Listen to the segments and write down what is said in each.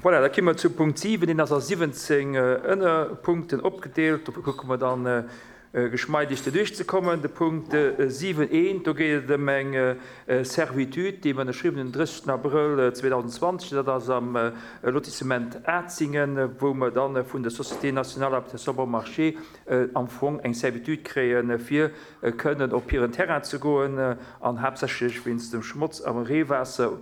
Voilà, da komme mer zu Punkt 7. Deen ass a 17 Ënnerpunkten opgedeelt. Dofir kucke mer dann geschmeidig doduerch ze kommen. De Punkt 7, eent, do geet et ëm eng Servitude, déi mer ënnerschriwwen hunn den 30 Abrëll 2020. Dat ass am Lotissement Atzingen, wou mer da vun der Société nationale d'habitation bon marché am Fong eng Servitude kréien, fir kënnen op hiren Terrain ze goen an haaptsächlech wéinst dem Schmotz am Reewaasser,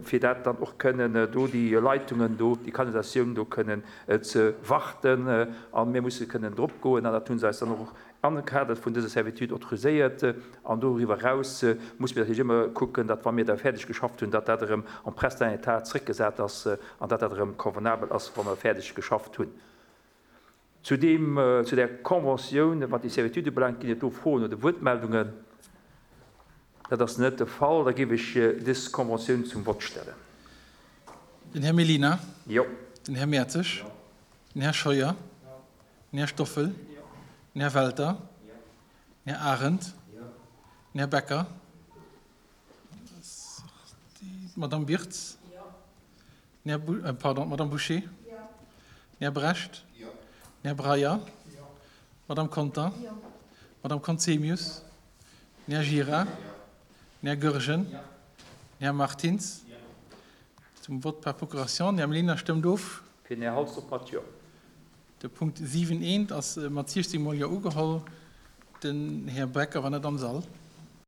fir dat dann och kënnen do déi Leitungen do, déi Kanalisatioun do kënnen ze warten a mir musse kënnen drop goen an dat hu se eis dann och am Kader vun dëser Servitude autoriséiert. An doriwwer eraus muss mir natierlech ëmmer kucken, datt wa mir da fäerdeg geschafft hunn, datt dat erëm en prestant état zrëckgesat ass an datt dat erëm convenabel ass, wa mer fäerdeg geschafft hunn. Zu deem, zu där Conventioun, wat déi Servitude ubelaangt, ginn et do Froen oder Wuertmeldungen? Dat ass net de Fall. Da géif ech dës Conventioun zum Vott stellen. Den Här Mellina. Jo. Den Här Mertzig. Den Här Scheuer. Den Här Stoffel. Den Här Welter. Den Här Arendt. Den Här Becker. D'Madame Birtz. Den Här Bou, pardon, d'Madame Bouché. Den Här Brecht. Den Här Breyer. D'Madame Conter. D'Madame Conzemius. Den Här Gira. Den Här Goergen. Den Här Martins. Zum Vote par procuration. Den Här Mellina stëmmt of. Fir den Här Halsdorf mat Jo. De Punkt 7 eent ass mat 16 mol Jo ugeholl. Den Här Becker war net am Sall.